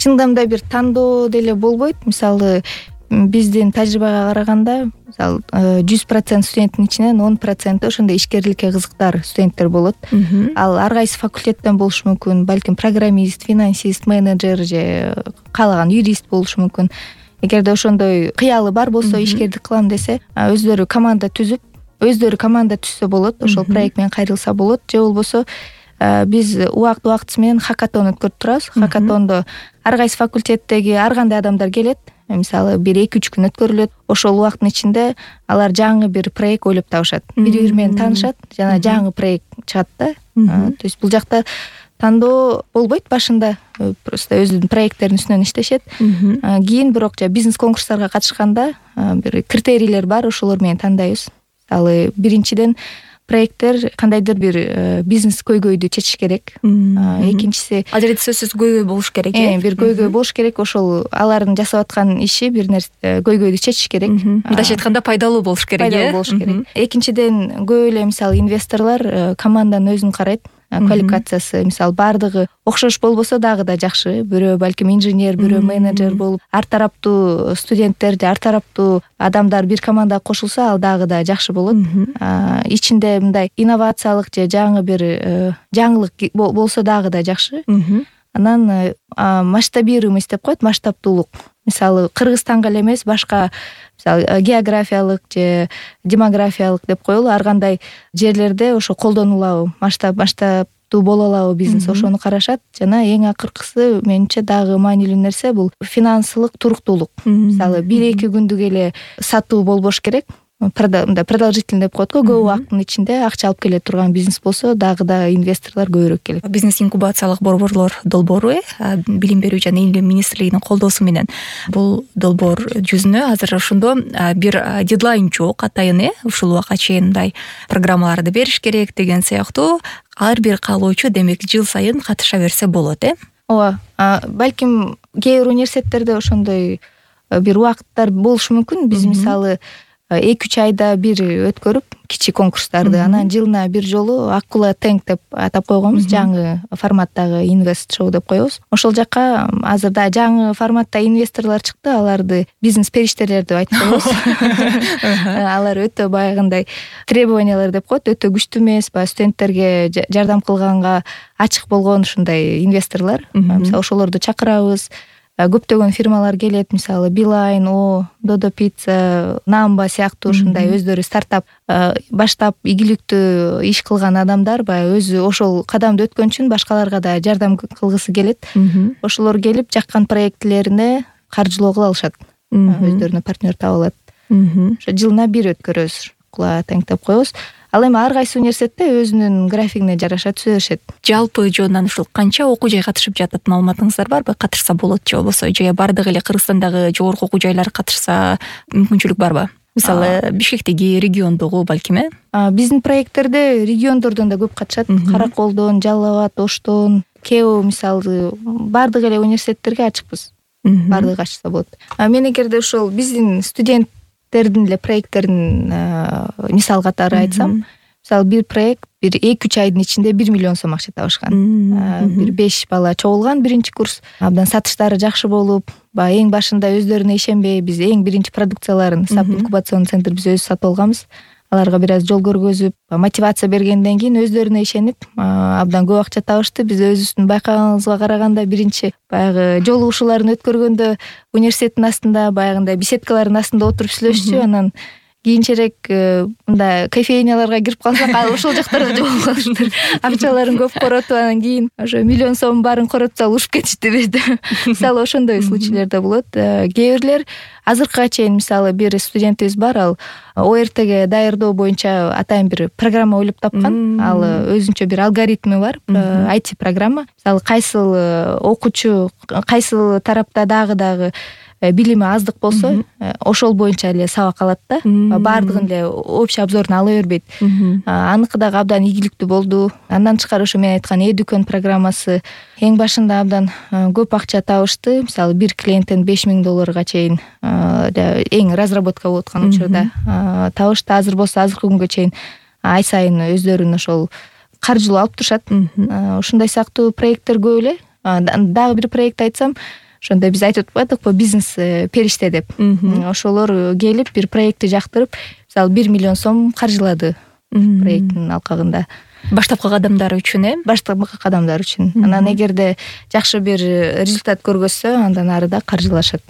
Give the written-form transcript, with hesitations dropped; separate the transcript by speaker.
Speaker 1: чындап да бир тандоо деле болбойт. Мисалы биздин тажрыйбага караганда мисалы 100% студенттин ичинен 10% ошондой ишкерликке кызыктар студенттер болот. Ал ар кайсы факультеттен болушу мүмкүн, балким программист, финансист, менеджер же каалаган юрист болушу мүмкүн. Эгерде ошондой кыялы бар болсо, ишкердик кылам десе, өздөрү команда түзүп, өздөрү команда түзсө болот, ошол проект менен кайрылса болот. Же болбосо биз убакыты менен хакатон өткөрүп турабыз. Хакатондо ар кайсы факультеттеги ар кандай адамдар келет. Мисалы 1-2-3 күн өткөрүлөт. Ошол убакыттын ичинде алар жаңы бир проект ойлоп табышат. Бири менен таанышат жана жаңы проект чыгат да. То есть бул жакта тандоо болбойт башында, просто өзүнүн проекттеринин үстүнөн иштешет. Кийин бирок бизнес конкурстарга катышканда бир критерийлер бар, ошолор менен тандайбыз. Мисалы биринчиден проекттер кандайдыр бир бизнес көйгөйдү чечиш керек. Экинчиси
Speaker 2: ал жерде сөзсүз көйгөй болуш керек.
Speaker 1: Бир көйгөй болуш керек. Ошол алардын жасап аткан иши бир нерсе көйгөйдү чечиш керек.
Speaker 2: Мындайча айтканда пайдалуу болуш керек.
Speaker 1: Пайдалуу болуш керек. Экинчиден көп эле мисалы инвесторлор команданын өзүн карайт. Квалификациясы мисалы баардыгы окшош болбосо дагы да жакшы. Бирөө балким инженер, бирөө менеджер болуп, ар тараптуу студенттер же ар тараптуу адамдар бир командага кошулса, ал дагы да жакшы болот. Ичинде мындай инновациялык же жаңы бир жаңылык болсо дагы да жакшы. Анан масштабируемость деп коет, масштабтуулук. Мисалы Кыргызстанга эле эмес, башка мисалы географиялык же демографиялык деп коелу, ар кандай жерлерде ошо колдонулабы, масштабтуу боло алабы бизнес, ошону карашат. Жана эң акыркысы менимче дагы маанилүү нерсе бул финансылык туруктуулук. Мисалы 1-2 күндүк эле сатуу болбош керек. Продолжительный деп коет го, көп убакыттын ичинде акча алып келе турган бизнес болсо дагы да инвесторлор көбүрөөк келет.
Speaker 2: Бизнес инкубациялык борборлор долбоору билим берүү жана илим министрлигинин колдоосу менен бул долбоор жүзүнө азыр ошондо бир дедлайн жок, атайын ушул убакка чейин мындай программаларды бериш керек деген сыяктуу ар бир каалоочу демек жыл сайын катыша берсе болот.
Speaker 1: Ооба, балким кээ бир университеттерде ошондой бир убакыттар болушу мүмкүн. Биз мисалы 2-3 айда бир өткөрүп кичи конкурстарды, анан жылына бир жолу Акула Тенк деп атап койгонбуз, жаңы форматтагы инвест шоу деп коебуз. Ошол жакка азырда жаңы форматта инвесторлор чыкты, аларды бизнес периштелер деп айтып коебуз. Алар өтө баягындай требованиялар деп коет, өтө күчтүү эмес, баягы студенттерге жардам кылганга ачык болгон ушундай инвесторлор. Мисалы ошолорду чакырабыз. Көптөгөн фирмалар келет, мисалы Билайн, Додо Пицца, Намба сыяктуу ушундай өздөрү стартап баштап ийгиликтүү иш кылган адамдар баягы өзү ошол кадамды өткөн үчүн башкаларга да жардам кылгысы келет. Ошолор келип жаккан проектлерине каржылоо кыла алышат. Өздөрүнө партнер таап алат. Ошо жылына бир өткөрөбүз, Акула Тенк деп коебуз. Ал эми ар кайсы университетте өзүнүн графигине жараша түзө беришет. Жалпы
Speaker 2: жонунан ушул канча окуу жай катышып жатат, маалыматыңыздар барбы? Катышса болот же болбосо же бардыгы эле Кыргызстандагы жогорку окуу жайлар катышса мүмкүнчүлүк барбы? Мисалы Бишкектеги, региондогу балким.
Speaker 1: Биздин проекттерде региондордон да көп катышат. Караколдон, Жалал абад, Оштон, Кео мисалы бардык эле университеттерге ачыкпыз. Бардыгы ачса болот. Мен эгерде ошол биздин студенттердин эле проекттерин мисал катары айтсам, мисалы бир проект бир 2-3 айдын ичинде 1 миллион сом акча табышкан. Бир 5 бала чогулган биринчи курс. Абдан сатыштары жакшы болуп, эң башында өздөрүнө ишенбей биз эң биринчи продукцияларын SAP инкубационный центр биз өзүбүз сатып алганбыз. Аларга бир аз жол көргөзүп, мотивация бергенден кийин өздөрүнө ишенип, абдан көп акча табышты. Биз өзүбүздүн байкаганыбызга караганда биринчи баягы жолугушууларын өткөргөндө университеттин астында баягындай беседкалардын астында отуруп сүйлөшчү. Анан кийинчерээк мындай кофейняларга кирип калсак, ошол жактарда жолугушалыштыр. Акчаларын көп коротуп, анан кийин ошо миллион сом баарын коротсак урушуп кетишти. Мисалы ошондой случайлар да болот. Кээ бирлер азыркыга чейин мисалы бир студентибиз бар, ал ОРТге даярдоо боюнча атайын бир программа ойлоп тапкан. Ал өзүнчө бир алгоритми бар, IT программа. Мисалы кайсыл окуучу кайсыл тарапта дагы билими аздык болсо, ошол боюнча эле сабак алат да. Баардыгын эле общий обзорун ала бербейт. Аныкы дагы абдан ийгиликтүү болду. Андан тышкары ошо мен айткан Эдүкөн программасы эң башында абдан көп акча табышты. Мисалы бир клиенттен $5000 чейин эң разработка болуп аткан учурда табышты. Азыр болсо азыркы күнгө чейин ай сайын өздөрүн ошол каржылоо алып турушат. Ушундай сыяктуу проекттер көп эле. Дагы бир проект айтсам, ошондо биз айтып атпадыкпы бизнес периште деп. Ошолор келип бир проектти жактырып, мисалы 1 миллион сом каржылады проекттин алкагында.
Speaker 2: Баштапкы кадамдар үчүн
Speaker 1: баштапкы кадамдар үчүн. Анан эгерде жакшы бир результат көргөзсө, андан ары да каржылашат.